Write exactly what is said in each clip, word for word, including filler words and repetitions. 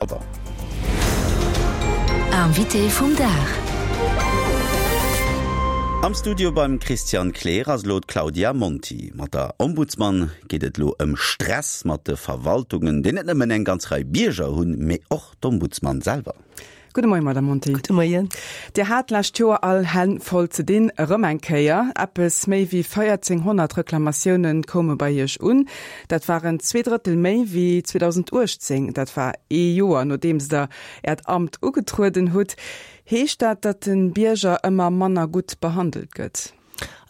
Alwer. Invité vum Dag. Am Studio beim Christian Kleer ass elo d'Claudia Monti. Mat der Ombudsman geet et elo ëm Stress mat de Verwaltungen, deen net nëmmen eng ganz Rei Bierger hunn, mee och d'Ombudsman selwer. Gudde Moien, Madame Monti. Gudde Moien. Dir hat d'lescht Joer all Hänn voll ze dinn, erëm eng Kéier. Eppes méi wéi véierzénghonnert Reklamatioune koume bei Iech un. Dat waren zwee Drëttel méi wéi zweedausendachtzéng. Dat war ee Joer, nodeems Der Äert Amt ugetrueden hutt. Heescht dat, datt de Bierger ëmmer manner gutt behandelt gëtt?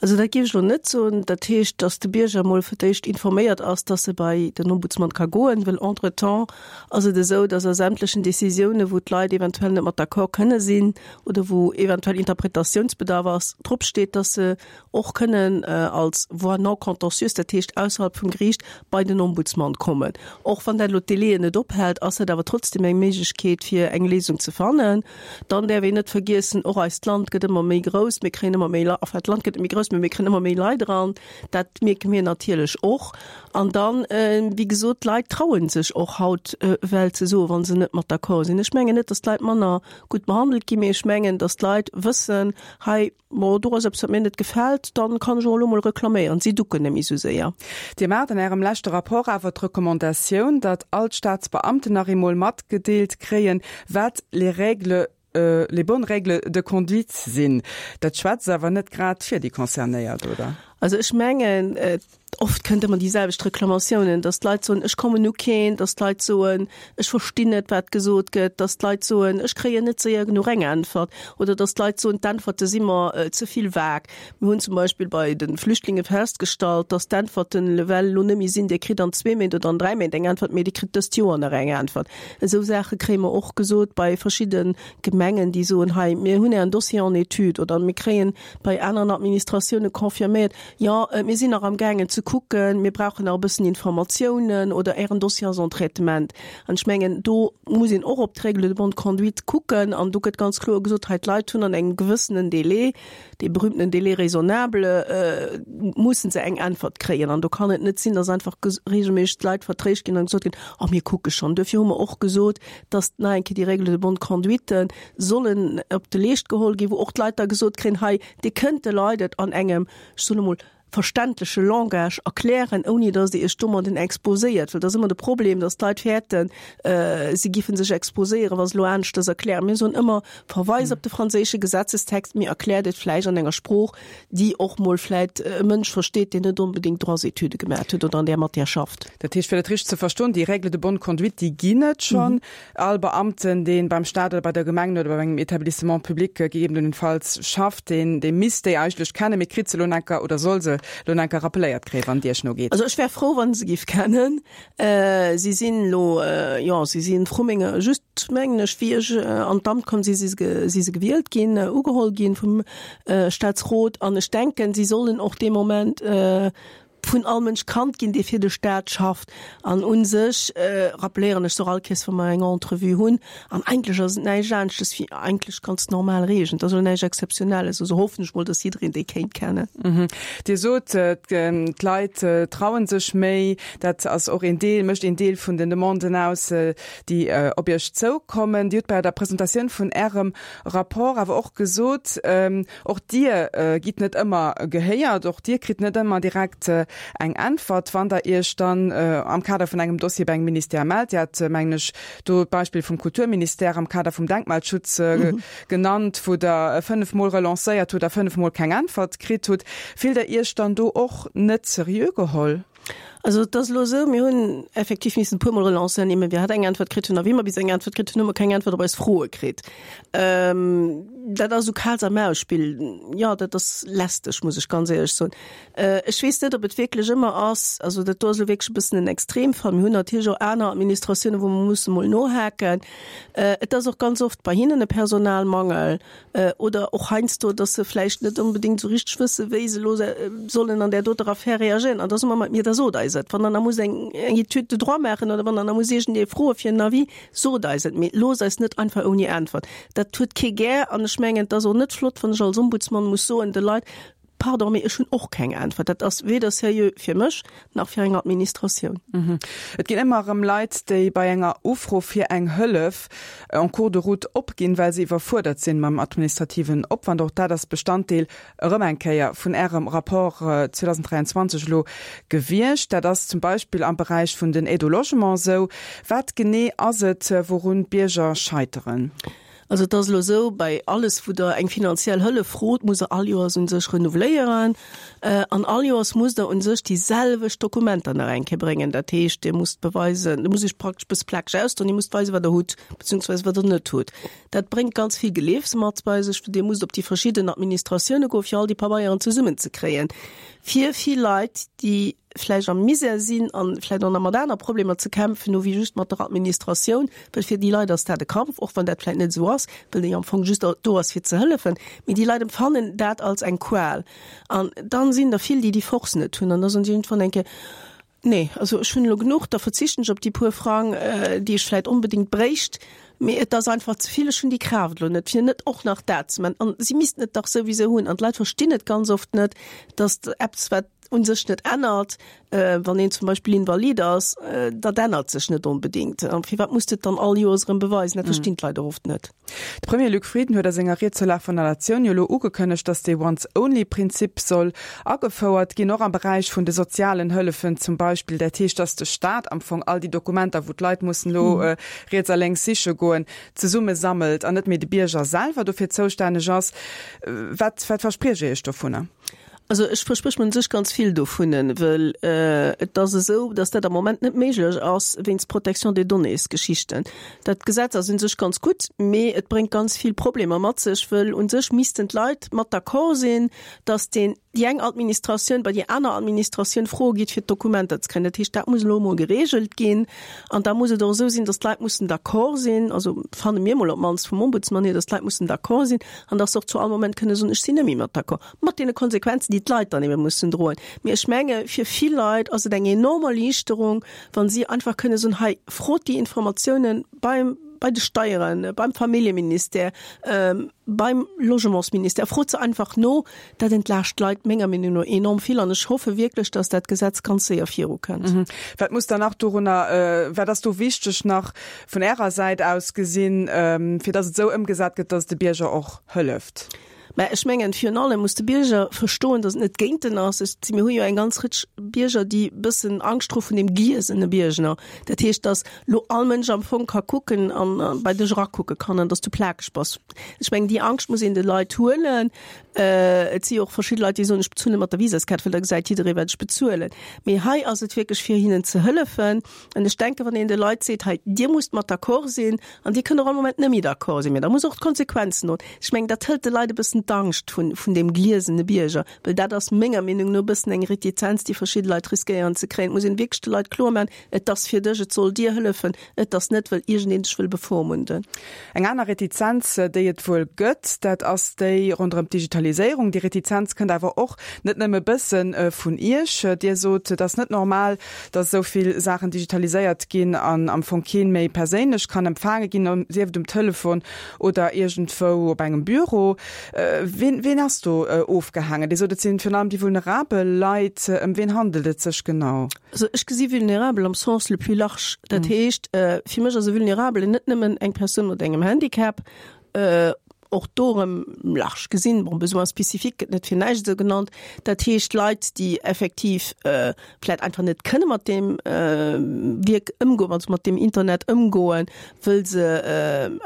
Also dat géif ech elo net soen. Dat heescht, datt de Bierger emol fir d'éischt informéiert ass, datt e bei den Ombudsman ka goen, well entretemps ass et esou, datt a sämtlechen Décisiounen, wou d'Leit eventuell net mat d'accord kënne sinn oder wou eventuell Interpretatiounsbedarf ass, drop steet, datt se och kënnen als voie non contentieuse, dat heescht ausserhalb vum Geriicht, bei den Ombudsman kommen. Och wann dat elo d'Délaiën net ophält, ass dat awer trotzdem eng Méiglechkeet, fir eng Léisung ze fannen. Dann däerf een net vergiessen, och eist Land gëtt ëmmer méi grouss, mir kréien ëmmer méi, enfin d'Land gëtt net méi grouss, mä mir kréien ëmmer méi Leit eran. Dat mierke mir natierlech och. An dann, wéi gesot, d'Leit traue sech och haut well ze soen, wa se net mat d'accord sinn. Ech mengen net, datt d'Leit manner gutt behandelt ginn, mee ech mengen, datt d'Leit wëssen, hei, bon, do ass eppes, wat mir net gefält, dann kann ech och elo mol reklaméieren. Si ducken net méi esou séier. Dir maacht an Ärem leschte Rapport awer d'Recommandatioun, datt all d'Staatsbeamten nach eemol matgedeelt kréien, wat les règles les bonnes règles de conduite sinn. Dat schwätzt awer net grad fir déi Concernéiert, oder? Also ech mengen, oft kënnt ëmmer déi selwecht Reklamatiounen, dass d'Leit soen, ech kommen u keen, dass d'Leit soen, ech verstinn net, wat gesot gëtt, dass d'Leit soen, ech kréien net séier genuch eng Äntwert, oder dass d'Leit soen, d'Äntwerte si mer ze vill vag. Mir hunn zum Beispill bei de Flüchtlinge festgestallt, dass d'Äntwerten ewell elo net méi sinn, Dir kritt an zwee Méint oder an dräi Méint eng Äntwert, mee Dir kritt dëst Joer nach eng Äntwert. Esou Saache kréie mer och gesot bei verschidde Gemengen, déi soen, hei, mir hunn Ären Dossier en étude, oder mir kréien bei aneren Administratioune confirméiert, jo, mir sinn nach amgaangen ze kucken, mir brauchen nach e bëssen Informatiounen, oder Ären Dossier ass en traitement. An ech mengen, do muss een och op d'Règles de bonne conduite kucken an do gëtt ganz kloer gesot, hei, d'Leit hunn an engem gewëssenen Délai, dee berühmtenen Délai raisonnable, mussen se eng Äntwert kréien. An do kann et net sinn, dass einfach regelméisseg d'Leit vertréischt ginn an gesot ginn, oh mir kucke schonn. Duerfir hu mer och gesot, dass nach eng Kéier déi Règles de bonne conduite sollen op de Leescht geholl ginn, wou och d'Leit da gesot kréien, hei, Dir kënnt de Leit et an engem, ech soen emol, verständleche Langage erklären, ouni datt Dir Iech domadden exposéiert. Well dat ass ëmmer de Problem, datt d'Leit fäerten, si giffen sech exposéieren, wa se elo aneschters erklären. Mir soen ëmmer, Verweis op de franséische Gesetzestext, mee erkläert et vläicht an enger Sprooch, déi och mol vläicht e Mënsch versteet, deen net onbedéngt Droits-étude gemaat huet oder an där Matière schafft. Dat heescht, fir dat richteg ze verstoen, déi Règles de bonne conduite, déi ginn et schonn. All Beamten, dee beim Staat oder bei der Gemeng oder bei engem Établissement public gegebenenfalls schafft, deen, dee misst déi eigentlech kennen, mee kritt se elo enker oder soll se elo enker rappeléiert kréien, wann et Iech no geet. Also ech wär frou, wa se giff kennen. Si sinn elo, jo, si sinn vru menger, just mengen ech, wéi ech an d'Amt komm si, si se, si se gewielt ginn, ugeholl ginn vum Staatsrot. An ech denken, si sollen och dee Moment vun all Mënsch kannt ginn, dee fir de Staat schafft. An u sech rappeléieren ech se och all Kéiers, wa mer eng Entrevue hunn. An eigentlech ass et näischt aneschtes wéi eigentlech ganz normal Regeln. Et ass elo näischt Exzeptionelles. Also hoffen ech mol, dass jiddereen déi kéint kennen. Dir sot, d'Leit traue sech méi. Dat ass och een Deel, mécht een Deel vun den Demanden aus, déi op Iech zoukommen. Dir hutt bei der Presentatioun vun Ärem Rapport awer och gesot, och Dir gitt net ëmmer gehéiert, och Dir kritt net ëmmer direkt eng Äntwert, wann Der Iech dann am Kader vun engem Dossier bei engem Ministère mellt. Dir hat, mengen ech, do d'Beispill vum Kulturministère am Kader vum Denkmalschutz genannt, wou Der fënnef Mol relancéiert hutt a fënnef Mol keng Äntwert kritt hutt. Fillt Der Iech dann do och net seriö geholl? Also et ass elo esou, mir hunn effektiv missen e puermol relancéieren, ier mir iwwerhaapt eng Äntwert kritt hunn. A wéi mer bis eng Äntwert kritt hunn, hu mer keng Äntwert op eis Froe kritt. Dat ass esou Kaz-a-Maus-Spill. Jo, dat ass lästeg, muss ech ganz éierlech soen. Ech weess net, ob et wierklech ëmmer ass, also dat do ass elo wierklech e bëssen en Extremfall. Mir hunn natierlech och aner Administratiounen, wou mer musse mol nohaken. Et ass och ganz oft bei hinnen e Personalmangel oder och heiansdo, dass se vläicht net onbedéngt esou richteg wëssen, wéi se elo sollen an där doter Affär reagéieren. An da soe mer mat mir, da sot eis et. Wann Der nach musst eng Étude de droit maachen oder wann Der nach musst iergendee froe fir en Avis, sot eis et. Mee loosst eis net einfach ouni Äntwert. Dat huet kee gär. An ech mengen, et ass och net flott, wann ech als Ombudsman muss soen de Leit, Pardon, mee ech hunn och keng Äntwert. Dat ass weder seriö fir mech nach fir eng Administratioun. Et ginn ëmmer erëm Leit, déi bei enger Ufro fir eng Hëllef en cours de route opginn, well se iwwerfuerdert sinn mam administrativen Opwand. Och dat ass Bestanddeel erëm eng Kéier vun Ärem Rapport zweedausenddräianzwanzeg elo gewiescht. Dat ass zum Beispill am Beräich vun den Aides au logement esou. Wat genee ass et, wourun d'Bierger scheiteren? Also et ass elo esou, bei alles wou Der eng finanziell Hëllef frot, musst Der all Joers u sech renouveléieren an all Joers musst Der u sech déi selwecht Dokumenter nach eng Kéier bréngen. Dat heescht, Dir musst beweisen, Dir musst Iech praktesch e bësse plakeg ausdroen, Dir musst weisen, wat Der hutt, beziehungsweise wat Der net hutt. Dat bréngt ganz vill Geleefs mat bei sech, Dir musst op déi verschidden Administratioune goen, fir all déi Pabeieren zesummenzekréien. Fir vill Leit, déi vläicht am Misär sinn an vläicht och nach mat aner Problemer ze kämpfen hu wéi just mat der Administratioun, well fir déi Leit ass dat e Kampf, och wann dat vläicht net esou ass, well déi am Fong just do ass fir ze hëllefen, mee déi Leit empfannen dat als eng Qual. An dann sinn der vill, déi déi Force net hunn an da soen si iergendwann eng Kéier, Nee, also ech hunn elo genuch, da verzichten ech op déi puer Frang, déi ech vläicht onbedéngt bréicht, mee et ass einfach ze vill, ech hunn déi Kraaft elo net, fir net och nach dat ze man. An si missten et dach souwisou hunn. An d'Leit verstinn et ganz oft net, datt eppes, wat u sech net ännert, wann een zum Beispill invalid ass, dat ännert sech net onbedéngt. An firwat muss de et dann all Joers erëm beweisen? Dat verstinn d'Leit och oft net. De Premier Luc Frieden huet a senger Ried zur Lag vun der Natioun jo elo ugekënnegt, datt dee Once-Only-Prinzip soll agefouert ginn, och am Beräich vun de sozialen Hëllefen zum Beispill. Dat heescht, datt de Staat am Fong all déi Dokumenter, wou d'Leit mussen elo riets a lénks siche goen, zesumme sammelt an net méi de Bierger selwer dofir zoustänneg ass. Wat wat verspriecht Dir Iech dovunner? Also ech versprich mer un sech ganz vill dovunnen, well et ass esou, datt dat am Moment net méiglech ass wéinst Protection des données-Geschichten. Dat Gesetz ass un sech ganz gutt, mee et bréngt ganz vill Problemer mat sech, wëll un sech missten d'Leit mat d'accord sinn, datt deen, déi eng Administratioun bei déi aner Administratioun froe geet, fir d'Dokumenter ze kréien. Dat heescht, dat muss elo emol geregelt ginn. An da muss et och esou sinn, datt d'Leit mussen d'accord sinn, also fanne mir emol op d'mannst vum Ombudsman hier, datt d'Leit mussen d'accord sinn an datt se och zu all Moment kënne soen, ech sinn net méi mat d'accord. Mat deene Konsequenzen, déi d'Leit dann ebe mussen droen. Mee ech menge fir vill Leit ass et eng enorm Erliichterung, wa si einfach kënne soen, hei, frot déi Informatiounen beim, bei de Steieren, beim Familljeministère, beim Logementsministère, frot se einfach no. Dat entlaascht d'Leit menger Meenung no enorm vill an ech hoffe wierklech, dass dat Gesetz ganz séier virukënnt. Wat muss dann nach dorunner, wat ass do wichteg nach vun Ärer Säit aus gesinn, fir dass et esou ëmgesat gëtt, dass et de Bierger och hëlleft? Mä ech mengen, virun allem muss de Bierger verstoen, datt et net géint en ass. Ech, mir hu jo eng ganz Rëtsch Bierger, déi e bëssen Angscht hu vun deem gliesene Bierger. Dat heescht, datt lo all Mënsch am Fong ka kucken an bei dech erakucke kann an datt s du plakeg bass. Ech mengen, déi Angscht muss een de Leit huelen. Et si jo och verschidde Leit, déi soen, ech bezuele mat der Visaskaart, well da gesäit jidderee wat ech bezuelen. Mee hei ass et wierklech fir hinnen ze hëllefen. An ech denken, wann een de Leit seet, hei Dir musst mat d'accord sinn an Dir kënnt och all Moment net méi d'accord sinn, mee da musst Der och d'Konsequenzen droen. Ech mengen, dat hëlt de Leit e bëssen d'Angscht vun, vun deem gliesene Bierger, well dat ass menger Meenung no e bëssen eng Retizenz, déi verschidde Leit riskéieren ze kréien. Et muss een wierklech de Leit kloer maachen, Et ass fir dech, et soll dir hëllefen, et ass net, well iergendeen dech wëll bevormunden. Eng aner Retizenz, déi et wuel gëtt, dat ass déi ronderëm d'Digitaliséierung. Déi Retizenz kënnt awer och net nëmme e bësse vun Iech. Dir sot, et ass net normal, datt esou vill Saachen digitaliséiert ginn an am Fong kee méi perséinlech kann empfaange ginn, sief et um Telefon oder iergendwou op engem Büro. Ween, ween ass do ofgehaangen? Dir sot, et sinn virun allem déi vulnerabel Leit. Ëm ween handelt et sech genau? Also ech gesi vulnerabel am Sens le plus large. Dat heescht, fir mech ass e Vulnerabelen net nëmmen eng Persoun mat engem Handicap, och do erëm large gesinn, bon, Besoins spécifiques gëtt net fir näischt esou genannt, dat heescht Leit, déi effektiv vläicht einfach net kënne mat deem Wierk ëmgoen, also mat deem Internet ëmgoen, wëll se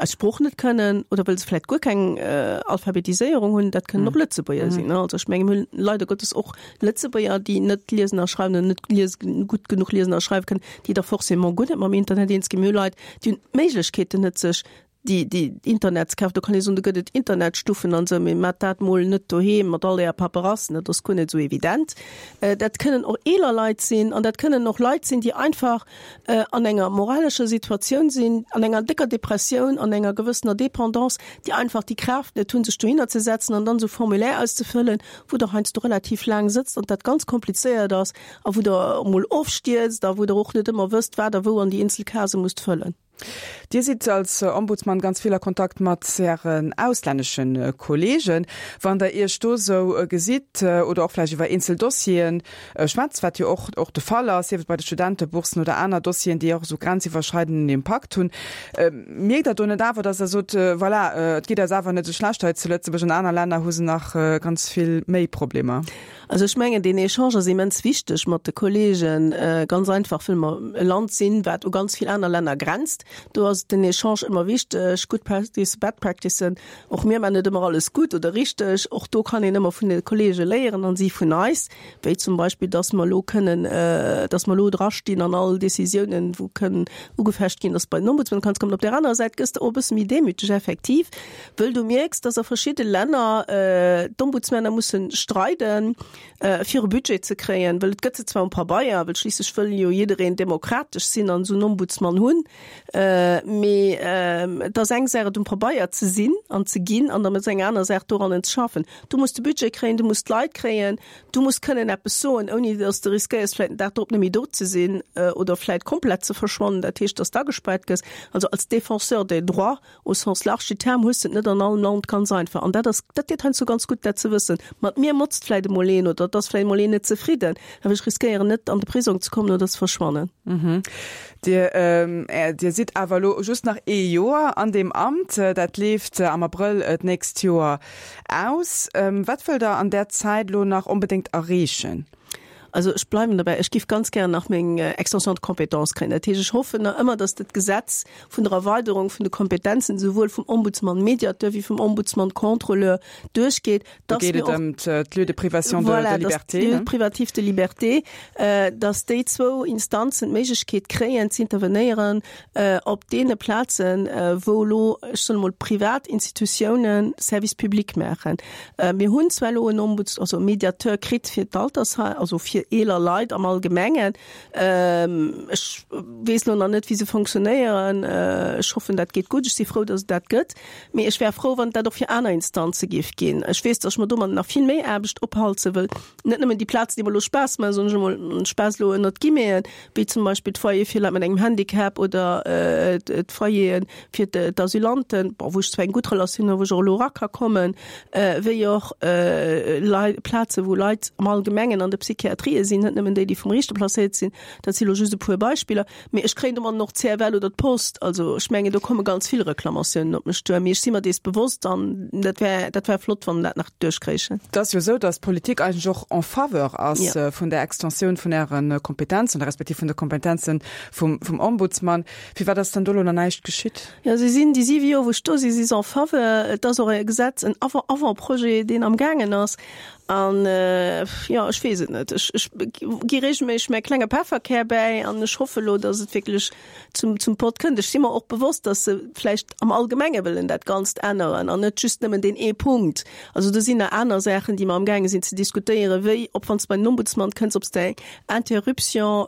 eis Sprooch net kënnen oder wëll se vläicht guer keng Alphabetiséierung hunn. Dat kënnen och Lëtzebuerger sinn. Also ech menge mir hunn leider Gottes och Lëtzebuerger, déi net liesen a schreiwen oder net lies gutt genuch liesen a schreiwe kënnen, déi da forcément guer net mam Internet eens ginn. Mir hu Leit, déi hunn d'Méiglechkeeten net, sech déi, déi Internetskaf, do kann ee soen, do gëtt et Internetstuffen an esou, mee maacht dat mol net doheem mat all äer Paperassen, dat ass guer net esou evident. Dat kënnen och eeler Leit sinn an dat kënnen och Leit sinn, déi einfach an enger moralescher Situatioun sinn, an enger décker Depressioun, an enger gewëssener Dépendance, déi einfach déi Kraaft net hunn, sech dohinner ze setzen an dann esou Formulaire auszefëllen, wou Der heiansdo relativ laang sëtzt an dat ganz komplizéiert ass a wou Der emol ofstierzt a wou Der och net ëmmer wësst, wat Der wou an déi eenzel Case musst fëllen. Dir sidd als Ombudsman ganz vill a Kontakt mat Ären auslännesche Kolleegen. Wann Der Iech do esou gesitt oder och vläicht iwwer eenzel Dossiere schwätzt, wat jo och och de Fall ass, sief et bei de Studentebourssen oder aner Dossieren, déi och esou grenziwwerschreidenden Impakt hunn, mierkt Der do net awer, datt Der sot, voilà, et geet eis awer net esou schlecht hei zu Lëtzebuerg, an aner Länner hu se nach ganz vill méi Problemer? Also ech mengen, deen Echange ass immens wichteg mat de Kolleegen, ganz einfach, wëll mer e Land sinn, wat u ganz vill aner Länner grenzt. Do ass den Echange ëmmer wichteg, good practice, bad practice. Och mir maachen net ëmmer alles gutt oder richteg. Och do kann een ëmmer vun de Kolleege léieren an si vun eis, wéi zum Beispill, dass mer elo kënnen, dass mer elo drastinn an all Décisiounen, wou kënnen ugefecht ginn, dass bei den Ombudsman kann kommen. Op där anerer Säit gëss de och e bësse méi demüteg effektiv, wëll du mierks, dass a verschidde Länner d'Ombudsmänner mussen streiden, fir e Budget ze kréien, wëll et gëtt se zwar um Pabeier, wëll schliisslech wëll jo jiddereen demokratesch sinn an esou en Ombudsman hunn, mee et ass eng Saach et um Pabeier ze sinn an ze ginn an dann ass eng aner Saach dorannen ze schaffen. Du muss de Budget kréien, du muss d'Leit kréien, du muss kënnen eppes soen, ouni datt s de riskéiers vläicht den Dag drop net méi do ze sinn oder vläicht komplett ze verschwannen, dat heescht, datt s d'agespaart gëss. Also als Défenseur des droits au sens large du terme hues de et net an allem Land ganz einfach. An dat ass, dat deet heiansdo ganz gutt, dat ze wëssen. Mat mir motzt vläicht emol een oder et ass vläicht emol een net zefridden, awer ech riskéieren net, an de Prisong ze kommen oder ze verschwannen. Dir, Dir sidd awer elo just nach ee Joer an deem Amt. Dat leeft am Abrëll d'nächst Joer aus. Wat wëllt Der an där Zäit elo nach onbedéngt erreechen? Also ech bleiwen derbäi, ech géif ganz gären nach meng Extension de compétences kréien. Dat heescht, ech hoffen nach ëmmer, datt dat Gesetz vun der Erweiderung vun de Kompetenzen esouwuel vum Ombudsman-Mediateur wéi vum Ombudsman-Contrôleur duerchgeet, Do geet et ëm d'Lieu de privation de voilà, liberté. Voilà, d'Lieu privatif de liberté, datt déi zwou Instanzen d'Méiglechkeet kréien z'intervenéieren op deene Plazen, wou elo, ech soen emol, privat Institutiounen Service public maachen. Mir hunn zwar elo en Ombuds-, also e Mediateur kritt fir d'Altersheim, also fir eeler Leit am Allgemengen. Ech weess elo nach net, wéi se fonctionnéieren. Ech hoffen, dat geet gutt. Ech si frou, datt et dat gëtt. Mee ech wär frou, wann et dat och fir aner Instanze géif ginn. Ech weess, datt ech mer domadden nach vill méi Aarbecht ophalse wëll, net nëmmen déi Plazen, déi mer elo Spaass maachen, soen ech emol, Spaass elo ënnert Guillemeten, wéi zum Beispill d'Foyere fir Leit mat engem Handicap oder d'Foyere fir d'Asylanten, bon, wou ech zwar eng gutt Relatioun hunn, wou ech och elo era ka kommen, wéi och Leit, Plazen, wou Leit am Allgemengen an de Psychiatrië sinn, net nëmmen déi, déi vum Riichter placéiert sinn. Dat si elo just e puer Beispiller. Mee ech kréien domadden och d'CFL oder d'Post. Also ech mengen, do komme ganz vill Reklamatiounen op mech duer. Mee ech si mer dees bewosst an dat wär, dat wär flott, wann dat nach duerchkréichen. Et ass jo esou, datt d'Politik eigentlech och en faveur ass vun der Extensioun vun Äre Kompetenzen oder respektiv vun de Kompetenze vum, vum Ombudsman. Firwat ass dann do elo nach näischt geschitt? Jo, si sinn déi siwe Joer, wou ech do sinn, si se en faveur. Et ass och e Gesetz, en Avant, Avant-projet, deen amgaangen ass. An, jo, ech weess et net. Ech, ech gi reegelméisseg mäi klenge Pefferkär bäi an ech hoffe elo, datt et wierklech zum, zum Pott kënnt. Ech si mer och bewosst, datt se vläicht am Allgemenge wëllen dat Ganzt änneren an net just nëmmen deen ee Punkt. Also do sinn nach aner Saachen, déi mer amgaange sinn ze diskutéieren, wéi ob, wann s de bei den Ombudsman kënns, ob s de eng Interruption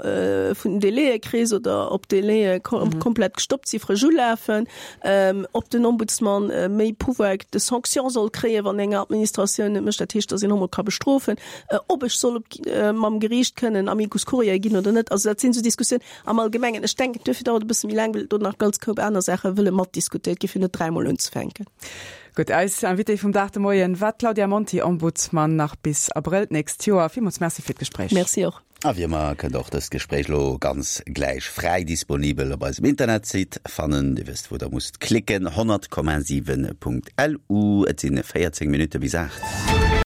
vun den Délaië kriss oder ob d'Délaië komplett gestoppt si frësch ulafen, ob den Ombudsman méi Pouvoir de sanction soll kréien, wann eng Administratioun net mécht, dat heescht, datt een och mol ka bestrofen, ob ech soll op mam Geriicht kënnen Amicus curiae ginn oder net. Also dat sinn esou Diskussiounen am Allgemengen. Ech denken, duerfir dauert et e bësse méi laang, well do nach ganz Koup aner Saache wëlle matdiskutéiert gi fir net dräimol unzefänken. Gutt, eis Invitée vum Dag de Moien war d'Claudia Monti, Ombudsman nach bis Abrëll d'nächst Joer. Villmools Merci fir d'Gespréich. Merci och. A wéi ëmmer kënnt der och dëst Gespréich elo ganz gläich fräi disponibel op eisem Internetsite fannen. Dir wësst wou der musst klicken, honnert Komma siwen Punkt LU. Et sinn véierzéng Minutte bis aacht.